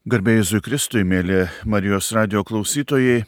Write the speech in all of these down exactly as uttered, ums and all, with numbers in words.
Garbė Jėzui Kristui, mėly Marijos radijo klausytojai,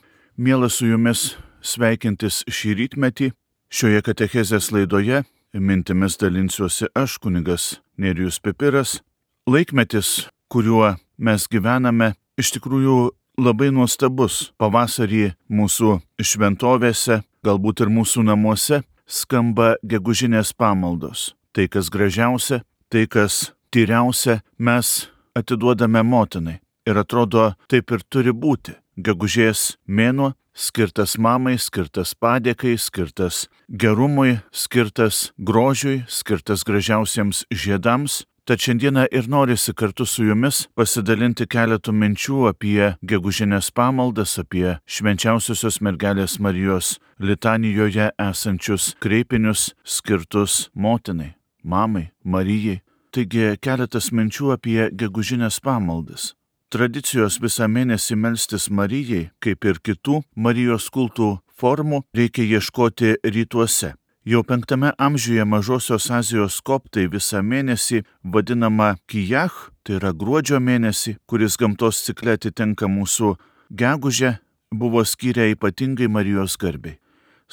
mielas su jumis sveikintis šį rytmetį. Šioje katechezės laidoje mintimis dalinsiuosi aš, kunigas Nerijus Pipiras. Laikmetis, kuriuo mes gyvename, iš tikrųjų labai nuostabus. Pavasarį mūsų šventovėse, galbūt ir mūsų namuose, skamba gegužinės pamaldos. Tai, kas gražiausia, tai, kas tyriausia, mes atiduodame motinai. Ir atrodo, taip ir turi būti. Gegužės mėnuo skirtas mamai, skirtas padėkai, skirtas gerumui, skirtas grožiui, skirtas gražiausiems žiedams. Tad šiandieną ir norisi kartu su jumis pasidalinti keletų minčių apie gegužinės pamaldas, apie švenčiausiosios mergelės Marijos litanijoje esančius kreipinius skirtus motinai, mamai, Marijai. Taigi keletas minčių apie gegužinės pamaldas. Tradicijos visą mėnesį melstis Marijai, kaip ir kitų Marijos kultų formų, reikia ieškoti rytuose. Jau penktame amžiuje Mažosios Azijos koptai visą mėnesį vadinama Kijach, tai yra gruodžio mėnesį, kuris gamtos cikle atitinka mūsų gegužę, buvo skyrę ypatingai Marijos garbei.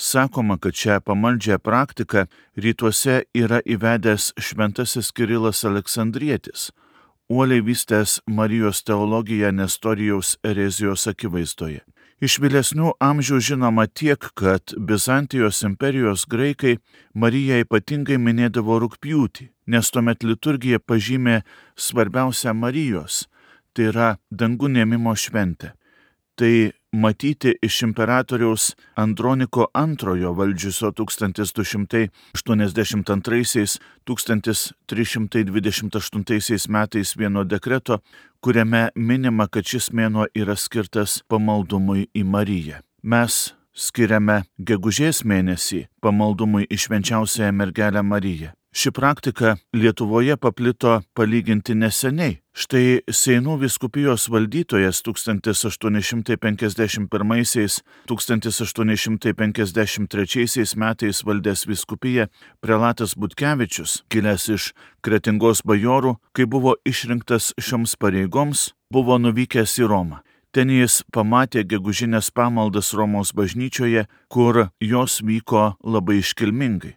Sakoma, kad šią pamaldžią praktiką rytuose yra įvedęs šventasis Kirilas Aleksandrietis, uoliai vystęs Marijos teologiją Nestorijaus erezijos akivaizdoje. Iš vėlesnių amžių žinoma tiek, kad Bizantijos imperijos graikai Mariją ypatingai minėdavo rugpjūtį, nes tuomet liturgija pažymė svarbiausią Marijos, tai yra dangun ėmimo šventę. Tai matyti iš imperatoriaus Androniko antrojo valdžiusio tūkstantis du šimtai aštuoniasdešimt antraisiais - tūkstantis trys šimtai dvidešimt aštuntaisiais metais vieno dekreto, kuriame minima, kad šis mėnuo yra skirtas pamaldumui į Mariją. Mes skiriame gegužės mėnesį pamaldumui į švenčiausiąją mergelę Mariją. Ši praktika Lietuvoje paplito palyginti neseniai. Štai Seinų vyskupijos valdytojas tūkstantis aštuoni šimtai penkiasdešimt pirmaisiais - tūkstantis aštuoni šimtai penkiasdešimt trečiaisiais metais valdęs vyskupiją prelatas Butkevičius, kilęs iš Kretingos bajorų, kai buvo išrinktas šioms pareigoms, buvo nuvykęs į Romą. Ten jis pamatė gegužinės pamaldas Romos bažnyčioje, kur jos vyko labai iškilmingai.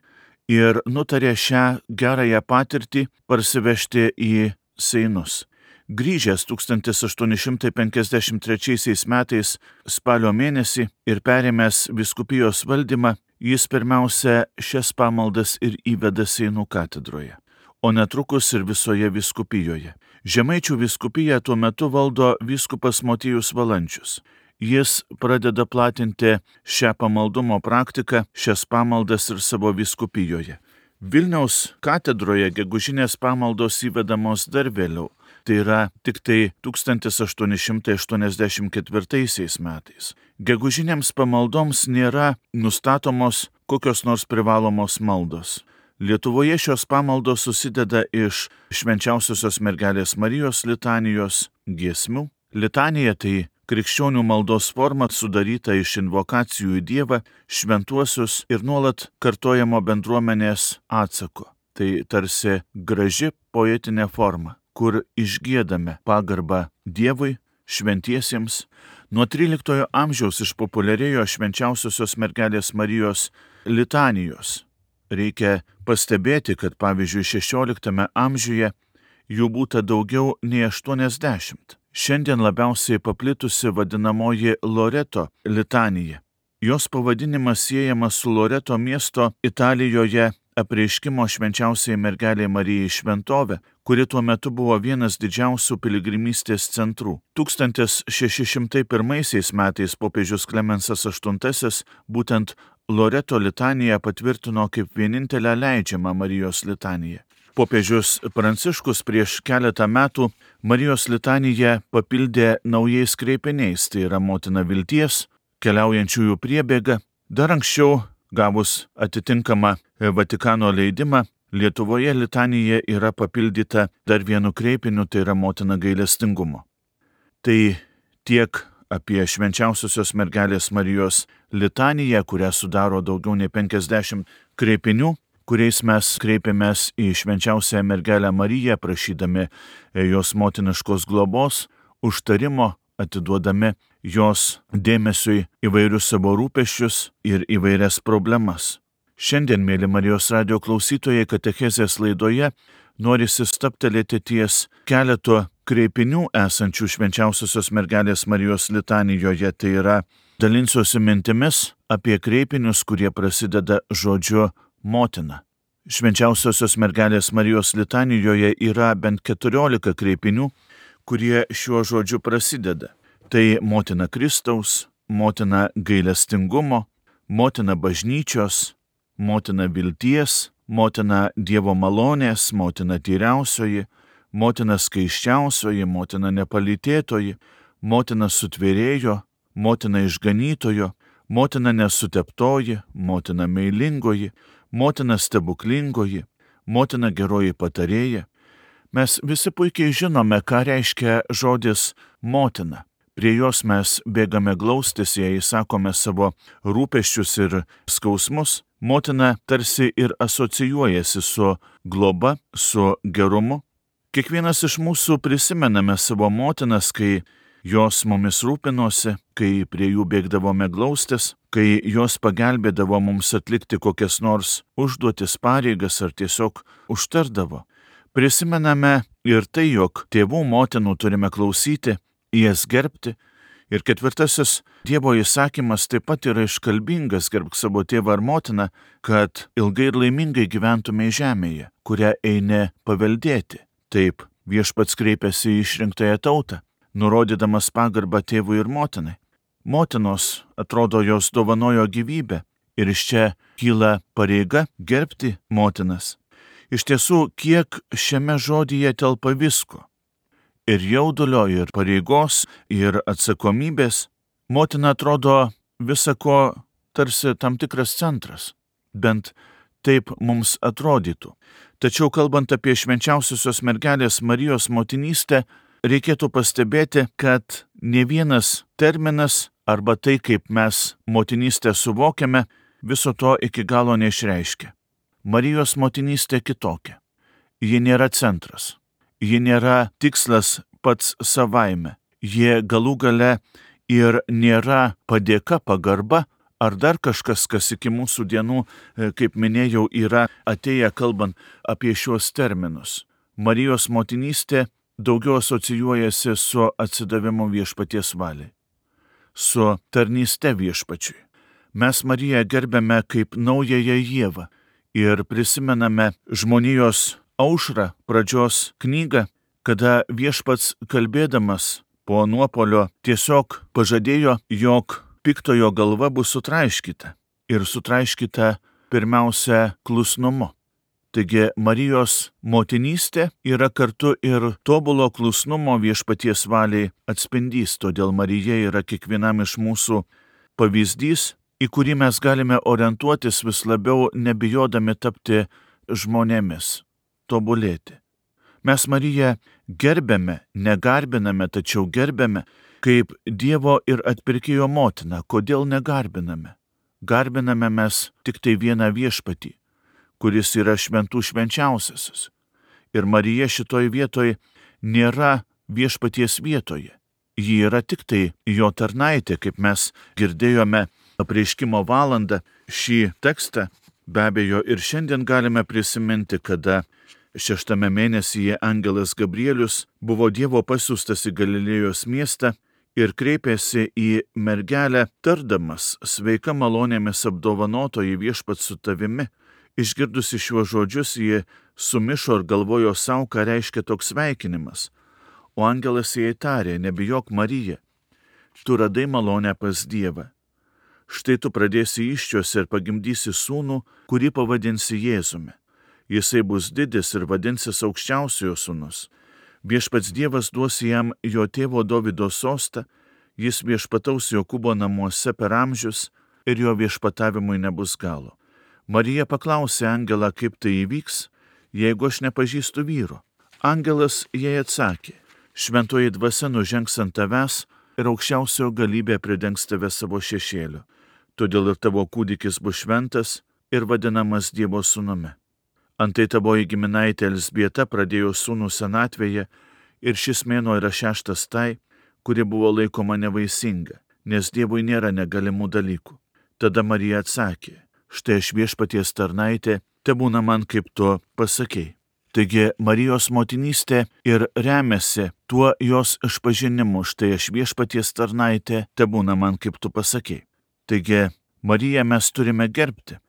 Ir nutarė šią gerąją patirtį parsivežti į Seinus. Grįžęs tūkstantis aštuoni šimtai penkiasdešimt trečiaisiais metais spalio mėnesį ir perėmęs vyskupijos valdymą, jis pirmiausia šias pamaldas ir įveda Seinų katedroje, o netrukus ir visoje vyskupijoje. Žemaičių vyskupiją tuo metu valdo vyskupas Motiejus Valančius. Jis pradeda platinti šią pamaldumo praktiką, šias pamaldas ir savo vyskupijoje. Vilniaus katedroje gegužinės pamaldos įvedamos dar vėliau, tai yra tik tai tūkstantis aštuoni šimtai aštuoniasdešimt ketvirtaisiais metais. Gegužinėms pamaldoms nėra nustatomos kokios nors privalomos maldos. Lietuvoje šios pamaldos susideda iš švenčiausiosios mergelės Marijos litanijos, giesmių. Litanija tai krikščionių maldos forma sudaryta iš invokacijų į Dievą, šventuosius ir nuolat kartojamo bendruomenės atsako. Tai tarsi graži poetinė forma, kur išgiedame pagarbą Dievui, šventiesiems. Nuo tryliktojo amžiaus išpopuliarėjo švenčiausiosios mergelės Marijos litanijos. Reikia pastebėti, kad pavyzdžiui šešioliktame amžiuje jų būta daugiau nei aštuoniasdešimt. Šiandien labiausiai paplitusi vadinamoji Loreto litanija. Jos pavadinimas siejamas su Loreto miesto Italijoje apreiškimo švenčiausiai mergelei Marijai šventovė, kuri tuo metu buvo vienas didžiausių piligrimystės centrų. tūkstantis šeši šimtai pirmaisiais metais popiežius Klemensas aštuntasis būtent Loreto litaniją patvirtino kaip vienintelę leidžiamą Marijos litaniją. Popiežius Pranciškus prieš keletą metų Marijos litaniją papildė naujais kreipiniais, tai yra motina vilties, keliaujančiųjų priebėga. Dar anksčiau, gavus atitinkamą Vatikano leidimą, Lietuvoje litanija yra papildyta dar vienu kreipiniu, tai yra motina gailestingumo. Tai tiek apie švenčiausiosios mergelės Marijos litaniją, kurią sudaro daugiau nei penkiasdešimt kreipinių, kuriais mes kreipiamės į švenčiausiąją mergelę Mariją, prašydami jos motiniškos globos, užtarimo, atiduodami jos dėmesiui įvairius savo rūpesčius ir įvairias problemas. Šiandien, mėly Marijos radijo klausytojai, katechezės laidoje norisi stabtelėti ties keletu kreipinių esančių Švenčiausiosios mergelės Marijos litanijoje, tai yra dalinsiuosi mintimis apie kreipinius, kurie prasideda žodžiu motina. Švenčiausiosios mergelės Marijos litanijoje yra bent keturiolika kreipinių, kurie šiuo žodžiu prasideda. Tai motina Kristaus, motina gailestingumo, motina bažnyčios, motina vilties, motina Dievo malonės, motina tyriausioji, motina skaiščiausioji, motina nepalytėtoji, motina sutvėrėjo, motina išganytojo, motina nesuteptoji, motina meilingoji, motina stebuklingoji, motina geroji patarėja. Mes visi puikiai žinome, ką reiškia žodis motina. Prie jos mes bėgame glaustis, jei sakome savo rūpesčius ir skausmus. Motina tarsi ir asocijuojasi su globa, su gerumu. Kiekvienas iš mūsų prisimename savo motinas, kai jos mumis rūpinosi, kai prie jų bėgdavome glaustis, kai jos pagelbėdavo mums atlikti kokias nors užduotis, pareigas ar tiesiog užtardavo. Prisimename ir tai, jog tėvų motinų turime klausyti, jas gerbti. Ir ketvirtasis Dievo įsakymas taip pat yra iškalbingas: gerbk savo tėvą ar motiną, kad ilgai ir laimingai gyventume žemėje, kurią eini paveldėti. Taip viešpats kreipiasi į išrinktąją tautą, nurodydamas pagarbą tėvui ir motinai. Motinos, atrodo, jos dovanojo gyvybę ir iš čia kyla pareiga gerbti motinas. Iš tiesų, kiek šiame žodyje telpa visko. Ir jaudulio, ir pareigos, ir atsakomybės. Motina atrodo visako tarsi tam tikras centras. Bent taip mums atrodytų. Tačiau kalbant apie švenčiausiosios mergelės Marijos motinystę, reikėtų pastebėti, kad ne vienas terminas arba tai, kaip mes motinystę suvokiame, viso to iki galo neišreiškia. Marijos motinystė kitokia. Ji nėra centras. Ji nėra tikslas pats savaime. Ji galų gale ir nėra padėka, pagarba ar dar kažkas, kas iki mūsų dienų, kaip minėjau, yra atėję kalbant apie šios terminus. Marijos motinystė daugiau asocijuojasi su atsidavimu viešpaties valiai, su tarnyste viešpačiui. Mes Mariją gerbėme kaip naująją Ievą ir prisimename žmonijos aušrą, pradžios knygą, kada viešpats kalbėdamas po nuopolio tiesiog pažadėjo, jog piktojo galva bus sutraiškyta ir sutraiškyta pirmiausia klusnumu. Taigi Marijos motinystė yra kartu ir tobulo klusnumo viešpaties valiai atspindys, todėl Marija yra kiekvienam iš mūsų pavyzdys, į kurį mes galime orientuotis vis labiau, nebijodami tapti žmonėmis, tobulėti. Mes Mariją gerbėme, negarbiname, tačiau gerbėme kaip Dievo ir atpirkėjo motiną. Kodėl negarbiname? Garbiname mes tik tai vieną viešpatį, kuris yra šventų švenčiausiasis. Ir Marija šitoj vietoj nėra viešpaties vietoje. Ji yra tik tai jo tarnaitė, kaip mes girdėjome apreiškimo valandą. Šį tekstą be abejo ir šiandien galime prisiminti, kada šeštame mėnesyje angelas Gabrielius buvo Dievo pasiųstas į Galilėjos miestą ir kreipėsi į mergelę, tardamas: sveika malonėmis apdovanotoji, viešpats su tavimi. Išgirdusi šiuos žodžius, ji sumišo ir galvojo sau, ką reiškia toks sveikinimas. O angelas jai tarė: nebijok, Marija, tu radai malonę pas Dievą. Štai tu pradėsi įsčios ir pagimdysi sūnų, kurį pavadinsi Jėzumi. Jisai bus didis ir vadinsis aukščiausiojo sūnus. Viešpats Dievas duos jam jo tėvo Dovydo sostą, jis viešpataus Jokūbo namuose per amžius ir jo viešpatavimui nebus galo. Marija paklausė angelą, kaip tai įvyks, jeigu aš nepažįstu vyro. Angelas jai atsakė: šventoji dvasia nužengs ant tavęs ir aukščiausiojo galybė pridengs tave savo šešėliu. Todėl ir tavo kūdikis bus šventas ir vadinamas Dievo sūnumi. Antai tavoji giminaitė Elzbieta pradėjo sūnų senatvėje ir šis mėnuo yra šeštas tai, kuri buvo laikoma nevaisinga, nes Dievui nėra negalimų dalykų. Tada Marija atsakė, štai aš viešpaties tarnaitė, tebūna man kaip tu pasakei. Taigi Marijos motinystė ir remiasi tuo jos išpažinimu, štai aš viešpaties tarnaitė, tebūna man kaip tu pasakei. Taigi Mariją mes turime gerbti.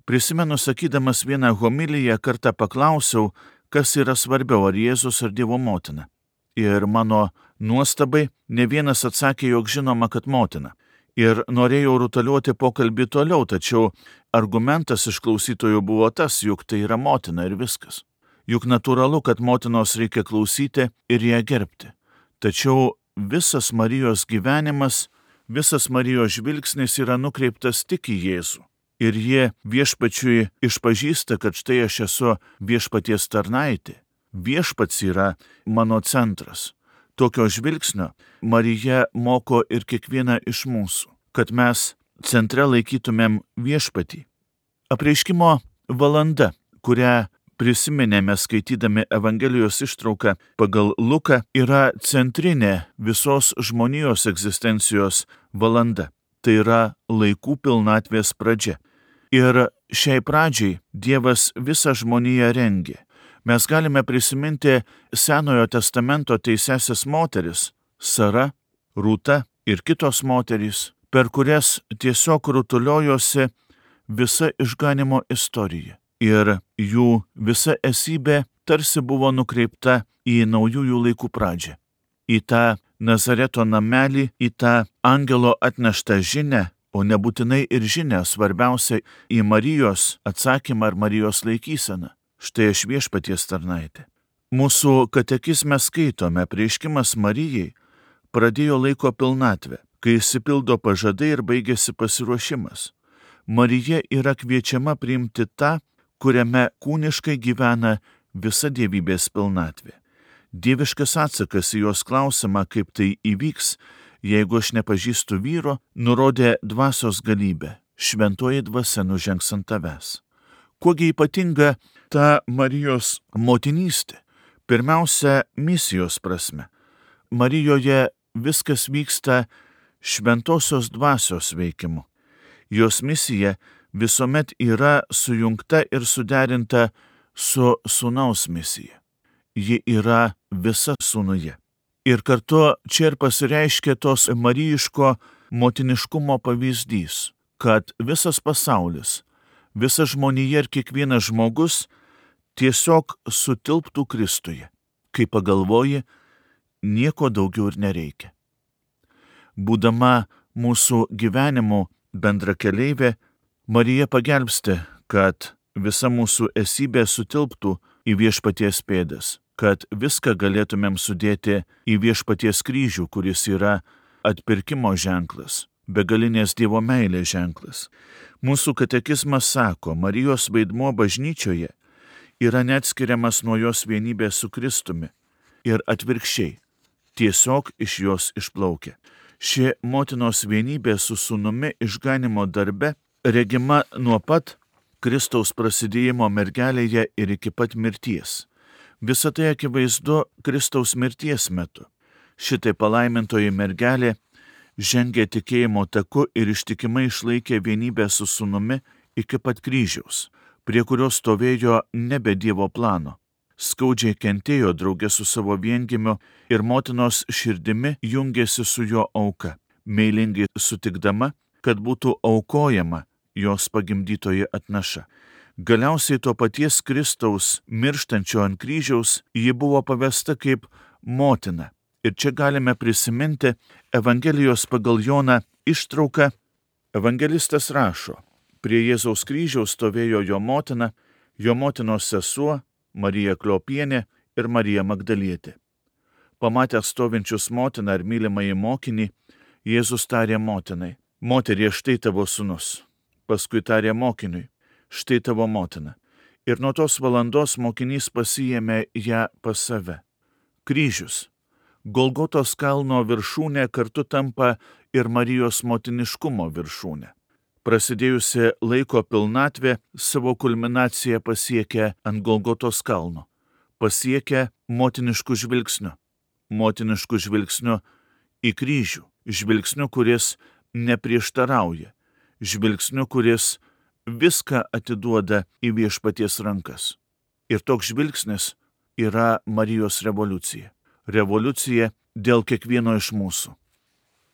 Prisimenu, sakydamas vieną homiliją, kartą paklausiau, kas yra svarbiau, ar Jėzus ar Dievo motina. Ir mano nuostabai ne vienas atsakė, jog žinoma, kad motina. Ir norėjau rutaliuoti pokalbį toliau, tačiau argumentas iš klausytojų buvo tas, juk tai yra motina ir viskas. Juk natūralu, kad motinos reikia klausyti ir ją gerbti. Tačiau visas Marijos gyvenimas, visas Marijos žvilgsnis yra nukreiptas tik į Jėzų. Ir jie viešpačiui išpažįsta, kad štai aš esu viešpaties tarnaitė. Viešpats yra mano centras. Tokio žvilgsnio Marija moko ir kiekvieną iš mūsų, kad mes centre laikytumėm viešpatį. Apreiškimo valanda, kurią prisiminėme skaitydami Evangelijos ištrauką pagal Luką, yra centrinė visos žmonijos egzistencijos valanda. Tai yra laikų pilnatvės pradžia. Ir šiai pradžiai Dievas visą žmoniją rengė. Mes galime prisiminti Senojo testamento teisesias moteris, Sara, Rūta ir kitos moterys, per kurias tiesiog rutuliojosi visa išganimo istorija. Ir jų visa esybė tarsi buvo nukreipta į naujųjų laikų pradžią. Į tą Nazareto namelį, į tą angelo atneštą žinią, o nebūtinai ir žinią, svarbiausia į Marijos atsakymą ar Marijos laikyseną. Štai aš viešpaties tarnaitė. Mūsų katekizme skaitome, apreiškimas Marijai pradėjo laiko pilnatvę, kai išsipildo pažadai ir baigėsi pasiruošimas. Marija yra kviečiama priimti tą, kuriame kūniškai gyvena visa dievybės pilnatvė. Dieviškas atsakas į jos klausimą, kaip tai įvyks, jeigu aš nepažįstu vyro, nurodė dvasios galybę. Šventoji dvasia nužengs ant tavęs. Kuogi ypatinga ta Marijos motinystė? Pirmiausia, misijos prasme. Marijoje viskas vyksta šventosios dvasios veikimu. Jos misija visuomet yra sujungta ir suderinta su sūnaus misija. Ji yra visa sūnuje. Ir kartu čia ir pasireiškia tos marijiško motiniškumo pavyzdys, kad visas pasaulis, visa žmonija ir kiekvienas žmogus tiesiog sutilptų Kristuje. Kai pagalvoji, nieko daugiau ir nereikia. Būdama mūsų gyvenimo bendrakeleivė, Marija pagelbsti, kad visa mūsų esybė sutilptų į viešpaties pėdas, kad viską galėtumėm sudėti į viešpaties kryžių, kuris yra atpirkimo ženklas, begalinės Dievo meilės ženklas. Mūsų katekizmas sako, Marijos vaidmuo bažnyčioje yra neatskiriamas nuo jos vienybės su Kristumi ir atvirkščiai, tiesiog iš jos išplaukia. Ši motinos vienybė su sūnumi išganimo darbe regima nuo pat Kristaus prasidėjimo mergelėje ir iki pat mirties. Visą tai akivaizdu Kristaus mirties metu. Šitai palaimintoji mergelė žengė tikėjimo taku ir ištikimai išlaikė vienybę su sūnumi iki pat kryžiaus, prie kurio stovėjo nebe Dievo plano. Skaudžiai kentėjo draugė su savo viengimiu ir motinos širdimi jungėsi su jo auka, meilingai sutikdama, kad būtų aukojama jos pagimdytoji atnaša. Galiausiai to paties Kristaus mirštančio ant kryžiaus ji buvo pavesta kaip motina. Ir čia galime prisiminti Evangelijos pagal Joną ištrauką. Evangelistas rašo, prie Jėzaus kryžiaus stovėjo jo motina, jo motinos sesuo, Marija Kliopienė ir Marija Magdalietė. Pamatęs stovinčius motiną ir mylimąjį mokinį, Jėzus tarė motinai, moterie, štai tavo sūnus. Paskui tarė mokiniui, štai tavo motina. Ir nuo tos valandos mokinys pasiėmė ją pas save. Kryžius, Golgotos kalno viršūnė kartu tampa ir Marijos motiniškumo viršūnė. Prasidėjusi laiko pilnatvė savo kulminaciją pasiekia ant Golgotos kalno. Pasiekia motiniškų žvilgsnių. Motiniškų žvilgsnių į kryžių, žvilgsniu, kuris neprieštarauja, žvilgsniu, kuris viską atiduoda į viešpaties rankas. Ir toks žvilgsnis yra Marijos revoliucija. Revoliucija dėl kiekvieno iš mūsų.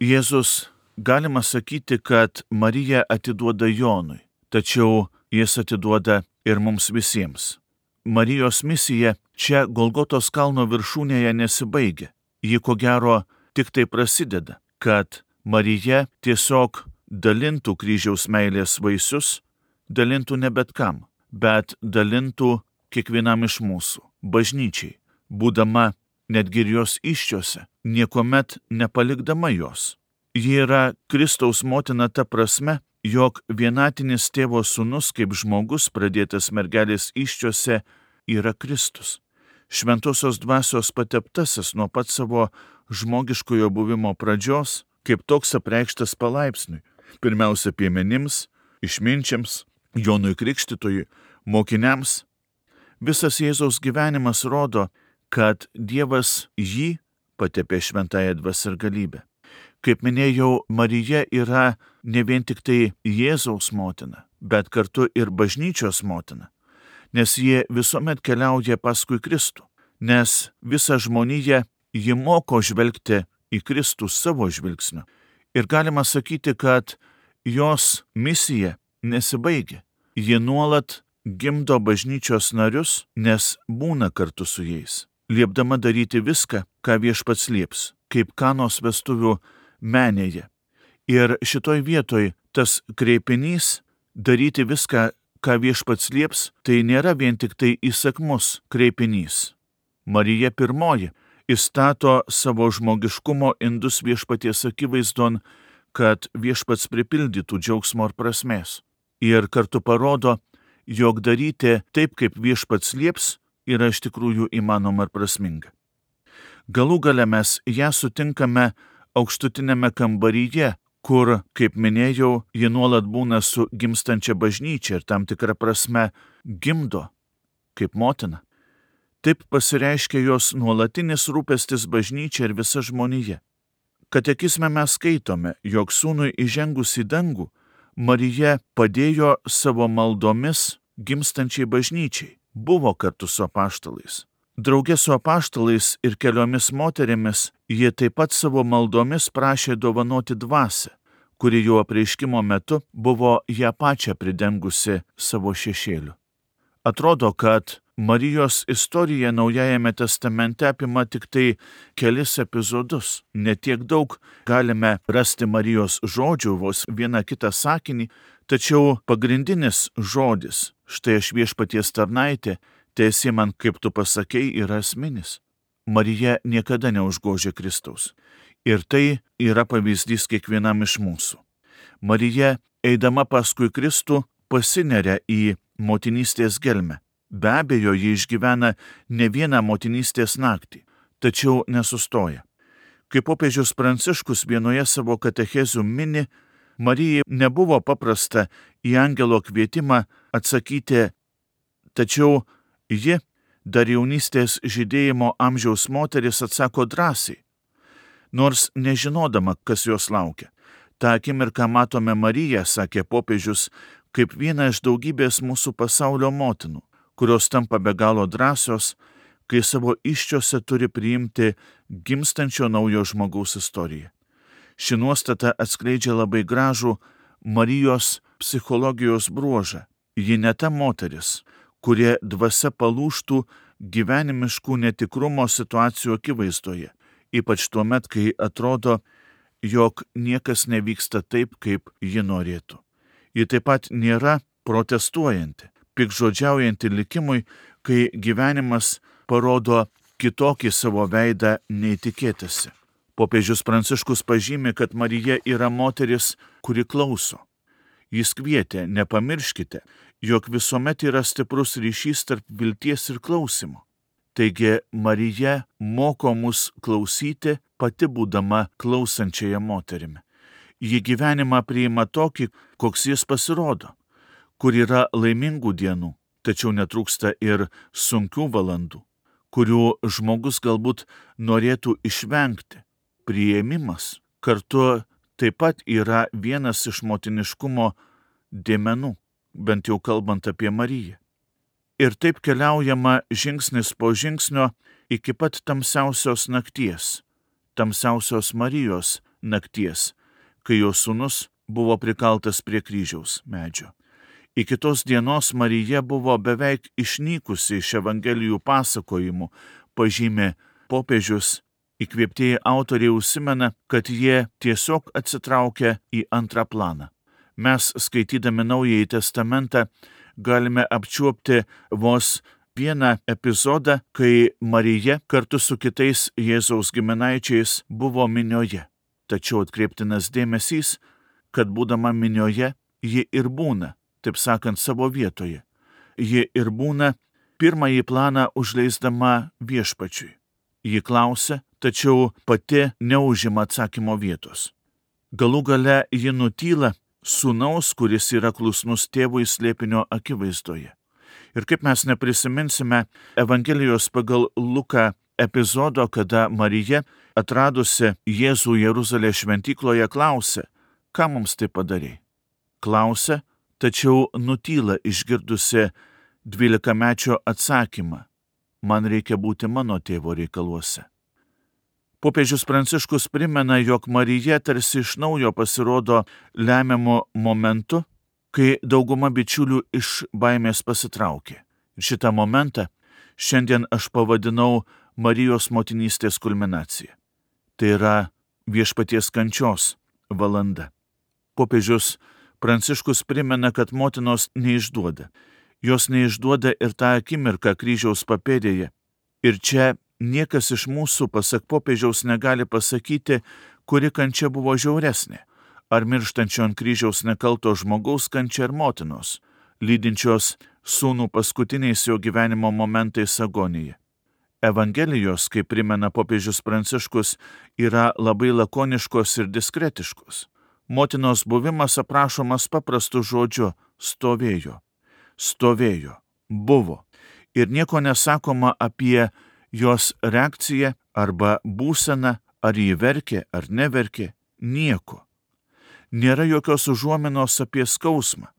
Jėzus, galima sakyti, kad Marija atiduoda Jonui, tačiau jis atiduoda ir mums visiems. Marijos misija čia Golgotos kalno viršūnėje nesibaigia. Ji ko gero tik tai prasideda, kad Marija tiesiog dalintų kryžiaus meilės vaisius, dalintų ne bet kam, bet dalintų kiekvienam iš mūsų, bažnyčiai, būdama netgi ir jos įsčiose, niekuomet nepalikdama jos. Ji yra Kristaus motina ta prasme, jog vienatinis tėvo sūnus kaip žmogus pradėtas mergelės įsčiose yra Kristus. Šventosios dvasios pateptasis nuo pat savo žmogiškojo buvimo pradžios, kaip toks apreikštas palaipsniui, pirmiausia piemenims, išminčiams, Jonui Krikštytojui, mokiniams. Visas Jėzaus gyvenimas rodo, kad Dievas jį patepė šventąją dvasią ir galybę. Kaip minėjau, Marija yra ne vien tik tai Jėzaus motina, bet kartu ir bažnyčios motina, nes jie visuomet keliauja paskui Kristų, nes visą žmoniją ji moko žvelgti į Kristų savo žvilgsniu. Ir galima sakyti, kad jos misija nesibaigia. Ji nuolat gimdo bažnyčios narius, nes būna kartu su jais, liepdama daryti viską, ką viešpats lieps, kaip Kanos vestuvių menėje. Ir šitoj vietoj tas kreipinys daryti viską, ką viešpats lieps, tai nėra vien tik tai įsakmus kreipinys. Marija pirmoji įstato savo žmogiškumo indus viešpaties akivaizdon, kad viešpats pripildytų džiaugsmo ir prasmės. Ir kartu parodo, jog daryti taip, kaip viešpats lieps, yra iš tikrųjų įmanoma ir prasminga. Galų gale mes ją sutinkame aukštutinėme kambaryje, kur, kaip minėjau, ji nuolat būna su gimstančia bažnyčia ir tam tikrą prasme gimdo, kaip motina. Taip pasireiškia jos nuolatinis rūpestis bažnyčia ir visa žmonija. Katekizme mes skaitome, jog sūnui įžengus į dangų, Marija padėjo savo maldomis gimstančiai bažnyčiai, buvo kartu su apaštalais. Drauge su apaštalais ir keliomis moterimis jie taip pat savo maldomis prašė dovanoti dvasią, kuri jo apreiškimo metu buvo ją pačią pridengusi savo šešėliu. Atrodo, kad Marijos istorija Naujajame testamente apima tik tai kelis epizodus. Ne tiek daug galime rasti Marijos žodžių, vos vieną kitą sakinį, tačiau pagrindinis žodis, štai aš viešpaties tarnaitė, teesi man, kaip tu pasakei, yra esminis. Marija niekada neužgožia Kristaus. Ir tai yra pavyzdys kiekvienam iš mūsų. Marija, eidama paskui Kristų, pasineria į motinystės gelmę. Be abejo, ji išgyvena ne vieną motinystės naktį, tačiau nesustoja. Kaip popiežius Pranciškus vienoje savo katechezių mini, Marijai nebuvo paprasta į angelo kvietimą atsakyti, tačiau ji, dar jaunystės žydėjimo amžiaus moteris, atsako drąsiai, nors nežinodama, kas jos laukia. Ta akimirką matome Mariją, sakė popiežius, kaip vieną iš daugybės mūsų pasaulio motinų, kurios tampa be galo drąsios, kai savo įsčiose turi priimti gimstančio naujo žmogaus istoriją. Ši nuostata atskleidžia labai gražų Marijos psichologijos bruožą. Ji ne ta moteris, kurie dvasia palūžtų gyvenimiškų netikrumo situacijų akivaizdoje, ypač tuomet, kai atrodo, jog niekas nevyksta taip, kaip ji norėtų. Ji taip pat nėra protestuojanti, pikžodžiaujanti likimui, kai gyvenimas parodo kitokį savo veidą nei tikėtasi. Popiežius Pranciškus pažymi, kad Marija yra moteris, kuri klauso. Jis kvietė, nepamirškite, jog visuomet yra stiprus ryšys tarp vilties ir klausimo. Taigi Marija moko mus klausyti, pati būdama klausančiaja moterimi. Ji gyvenimą priima tokį, koks jis pasirodo, kur yra laimingų dienų, tačiau netrūksta ir sunkių valandų, kurių žmogus galbūt norėtų išvengti, priėmimas kartu taip pat yra vienas iš motiniškumo dėmenų, bent jau kalbant apie Mariją. Ir taip keliaujama žingsnis po žingsnio iki pat tamsiausios nakties, tamsiausios Marijos nakties, kai jos sūnus buvo prikaltas prie kryžiaus medžio. Iki tos dienos Marija buvo beveik išnykusi iš Evangelijų pasakojimų, pažymė popiežius. Įkvėptieji autoriai užsimena, kad jie tiesiog atsitraukia į antrą planą. Mes, skaitydami Naująjį testamentą, galime apčiuopti vos vieną epizodą, kai Marija kartu su kitais Jėzaus giminaičiais buvo minioje. Tačiau atkreiptinas dėmesys, kad būdama minioje, ji ir būna, taip sakant, savo vietoje. Ji ir būna pirmąjį planą užleisdama viešpačiui. Ji klausia, tačiau pati neužima atsakymo vietos. Galų gale ji nutyla sūnaus, kuris yra klusnus tėvui slėpinio akivaizdoje. Ir kaip mes neprisiminsime Evangelijos pagal Luką epizodo, kada Marija, atradusi Jėzų Jeruzalės šventykloje, klausia, ką mums tai padarei? Klausia, tačiau nutyla išgirdusi dvylikamečio atsakymą. Man reikia būti mano tėvo reikaluose. Popiežius Pranciškus primena, jog Marija tarsi iš naujo pasirodo lemiamu momentu, kai dauguma bičiulių iš baimės pasitraukė. Ir šitą momentą šiandien aš pavadinau Marijos motinystės kulminacija. Tai yra viešpaties kančios valanda. Popiežius Pranciškus primena, kad motinos neišduoda. Jos neišduoda ir tą akimirką kryžiaus papėdėje. Ir čia niekas iš mūsų, pasak popiežiaus, negali pasakyti, kuri kančia buvo žiauresnė. Ar mirštančio ant kryžiaus nekalto žmogaus kančia ar motinos, lydinčios sūnų paskutiniais jo gyvenimo momentais agoniją. Evangelijos, kaip primena popiežius Pranciškus, yra labai lakoniškos ir diskretiškos. Motinos buvimas aprašomas paprastu žodžiu stovėjo. Stovėjo, buvo. Ir nieko nesakoma apie jos reakciją arba būseną, ar jį verkė ar neverkė, nieko. Nėra jokios užuominos apie skausmą.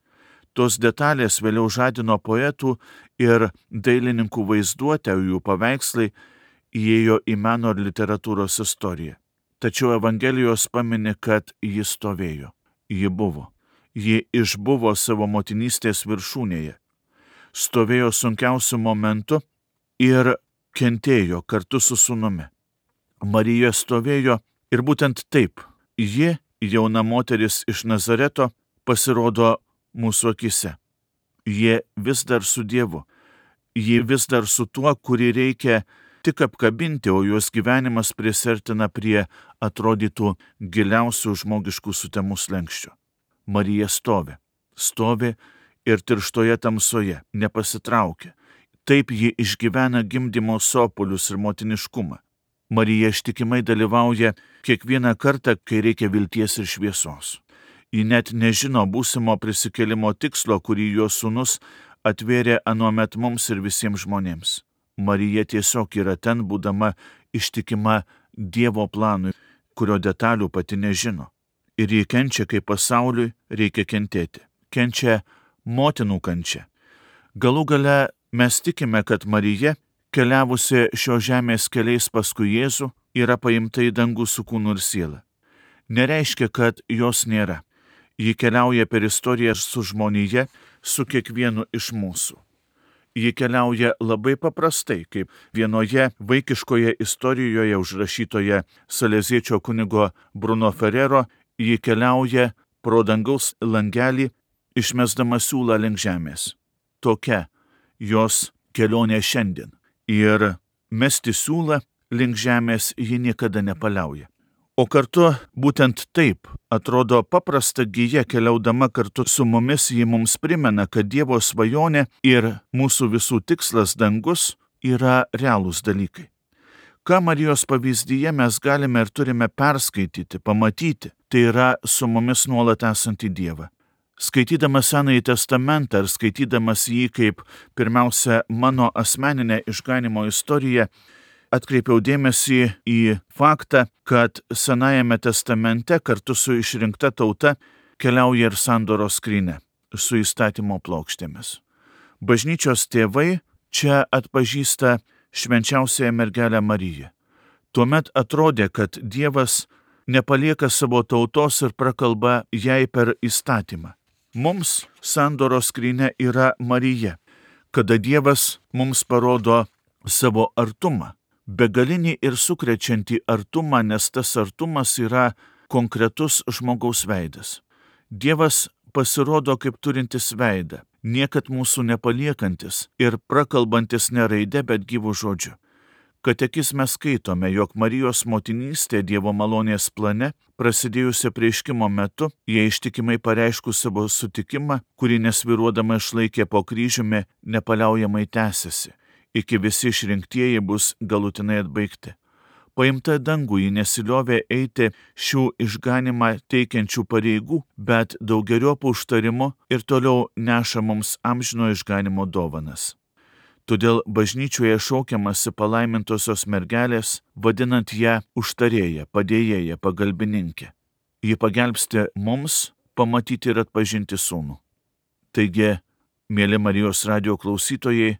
Tos detalės vėliau žadino poetų ir dailininkų vaizduotę, jų paveikslai įėjo į meno ir literatūros istoriją. Tačiau Evangelijos pamini, kad ji stovėjo, ji buvo. Ji išbuvo savo motinystės viršūnėje, stovėjo sunkiausiu momentu ir kentėjo kartu su sūnumi. Marija stovėjo ir būtent taip ji, jauna moteris iš Nazareto, pasirodo mūsų akise. Ji vis dar su Dievu, ji vis dar su tuo, kurį reikia tik apkabinti, o jos gyvenimas prisertina prie atrodytų giliausių žmogiškų sutemų slenksčių. Marija stovi, stovi ir tirštoje tamsoje, nepasitraukia. Taip ji išgyvena gimdymo sopulius ir motiniškumą. Marija ištikimai dalyvauja kiekvieną kartą, kai reikia vilties ir šviesos. Ji net nežino būsimo prisikėlimo tikslo, kurį jos sūnus atvėrė anuomet mums ir visiems žmonėms. Marija tiesiog yra ten, būdama ištikima Dievo planui, kurio detalių pati nežino. Ir ji kenčia, kai pasauliui reikia kentėti. Kenčia motinų kančia. Galų gale mes tikime, kad Marija, keliavusi šio žemės keliais paskui Jėzų, yra paimta į dangų su kūnu ir siela. Nereiškia, kad jos nėra. Ji keliauja per istoriją su žmonija, su kiekvienu iš mūsų. Ji keliauja labai paprastai, kaip vienoje vaikiškoje istorijoje užrašytoje saleziečio kunigo Bruno Ferrero, ji keliauja pro dangaus langelį, išmesdama siūlą link žemės. Tokia jos kelionė šiandien. Ir mesti siūlą link žemės ji niekada nepaliauja. O kartu būtent taip atrodo paprasta gija, keliaudama kartu su mumis, ji mums primena, kad Dievo svajonė ir mūsų visų tikslas dangus yra realūs dalykai. Ką Marijos pavyzdyje mes galime ir turime perskaityti, pamatyti, tai yra su mumis nuolat esantį Dievą. Skaitydamas Senąjį testamentą ir skaitydamas jį kaip pirmiausia mano asmeninę išganymo istoriją, atkreipiau dėmesį į faktą, kad Senajame testamente kartu su išrinkta tauta keliauja ir sandoros skrynia su įstatymo plokštėmis. Bažnyčios tėvai čia atpažįsta švenčiausiąją mergelę Mariją. Tuomet atrodė, kad Dievas nepalieka savo tautos ir prakalba jai per įstatymą. Mums sandoros skrynia yra Marija, kada Dievas mums parodo savo artumą, begalinį ir sukrečiantį artumą, nes tas artumas yra konkretus žmogaus veidas. Dievas pasirodo kaip turintis veidą, niekad mūsų nepaliekantis ir prakalbantis ne raide, bet gyvų žodžiu. Katekizme skaitome, jog Marijos motinystė Dievo malonės plane, prasidėjusio apreiškimo metu, jie ištikimai pareiškus savo sutikimą, kurį nesvyruodama išlaikė po kryžiumi, nepaliaujamai tęsiasi, iki visi išrinktieji bus galutinai atbaigti. Paimta dangų ji nesiliovė eiti šių išganimą teikiančių pareigų, bet daugeriopų užtarimu ir toliau neša mums amžino išganimo dovanas. Todėl bažnyčioje šaukiamasi palaimintosios mergelės, vadinant ją užtarėją, padėjėją, pagalbininkę. Ji pagelbsti mums pamatyti ir atpažinti sūnų. Taigi, mėly Marijos radijo klausytojai,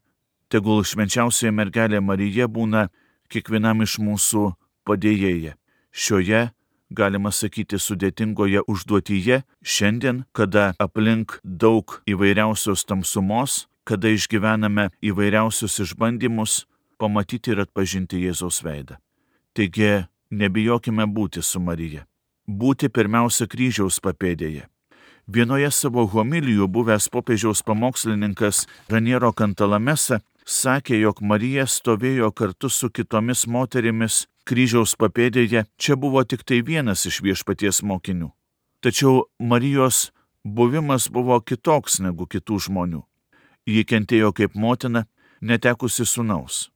tegul švenčiausioji mergelė Marija būna kiekvienam iš mūsų padėjėja. Šioje, galima sakyti, sudėtingoje užduotyje, šiandien, kada aplink daug įvairiausios tamsumos, kada išgyvename įvairiausius išbandymus, pamatyti ir atpažinti Jėzaus veidą. Taigi, nebijokime būti su Marija. Būti pirmiausia kryžiaus papėdėje. Vienoje savo homilijų buvęs popiežiaus pamokslininkas Raniero Cantalamessa sakė, jog Marija stovėjo kartu su kitomis moterimis kryžiaus papėdėje, čia buvo tik tai vienas iš Viešpaties mokinių. Tačiau Marijos buvimas buvo kitoks negu kitų žmonių. Ji kentėjo kaip motina, netekusi sūnaus.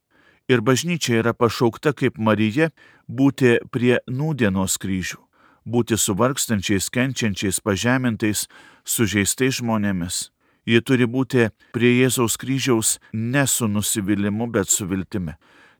Ir bažnyčia yra pašaukta kaip Marija būti prie nūdienos kryžių, būti su vargstančiais, kenčiančiais, pažemintais, sužeistais žmonėmis. Ji turi būti prie Jėzaus kryžiaus ne su nusivylimu, bet su viltimi.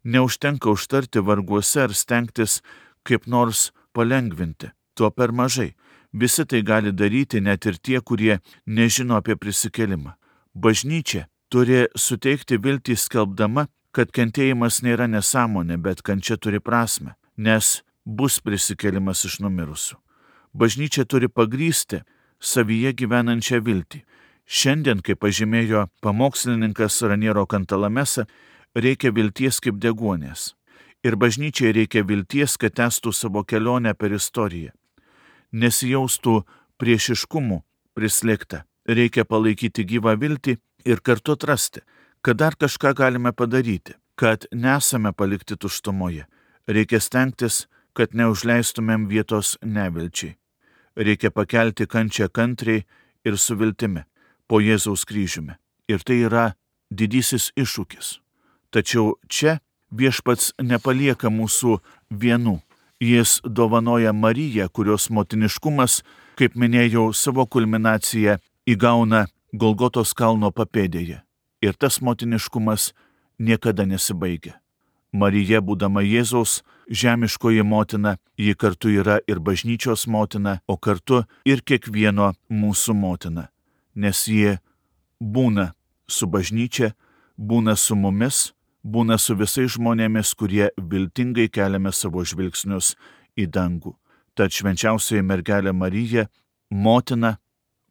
Neužtenka užtarti varguose ar stengtis kaip nors palengvinti. To per mažai. Visi tai gali daryti, net ir tie, kurie nežino apie prisikėlimą. Bažnyčia turi suteikti viltį skelbdama, kad kentėjimas nėra nesąmonė, bet kančia turi prasme, nes bus prisikėlimas iš numirusių. Bažnyčia turi pagrysti savyje gyvenančią viltį. Šiandien, kaip pažymėjo pamokslininkas Raniero Cantalamessa, reikia vilties kaip deguonies. Ir bažnyčiai reikia vilties, kad tęstų savo kelionę per istoriją. Nesijaustų priešiškumų prislėgta. Reikia palaikyti gyvą viltį ir kartu atrasti, kad dar kažką galime padaryti, kad nesame palikti tuštumoje. Reikia stengtis, kad neužleistumėm vietos nevilčiai. Reikia pakelti kančią kantriai ir su viltimi po Jėzaus kryžiumi. Ir tai yra didysis iššūkis. Tačiau čia Viešpats nepalieka mūsų vienų. Jis dovanoja Mariją, kurios motiniškumas, kaip minėjau, savo kulminaciją įgauna Golgotos kalno papėdėje. Ir tas motiniškumas niekada nesibaigia. Marija, būdama Jėzaus žemiškoji motina, ji kartu yra ir bažnyčios motina, o kartu ir kiekvieno mūsų motina. Nes ji būna su bažnyčia, būna su mumis, būna su visais žmonėmis, kurie viltingai keliame savo žvilgsnius į dangų. Tad švenčiausioji mergelė Marija, motina,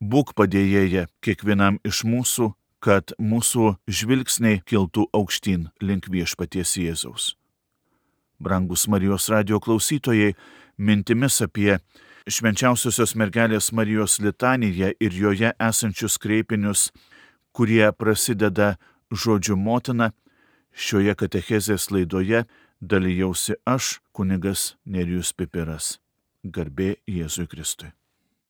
būk padėjėja kiekvienam iš mūsų, kad mūsų žvilgsniai kiltų aukštyn link Viešpaties Jėzaus. Brangus Marijos radijo klausytojai, mintimis apie švenčiausiosios mergelės Marijos litaniją ir joje esančius kreipinius, kurie prasideda žodžiu motina, šioje katechezės laidoje dalijausi aš, kunigas Nerijus Pipiras. Garbė Jėzui Kristui.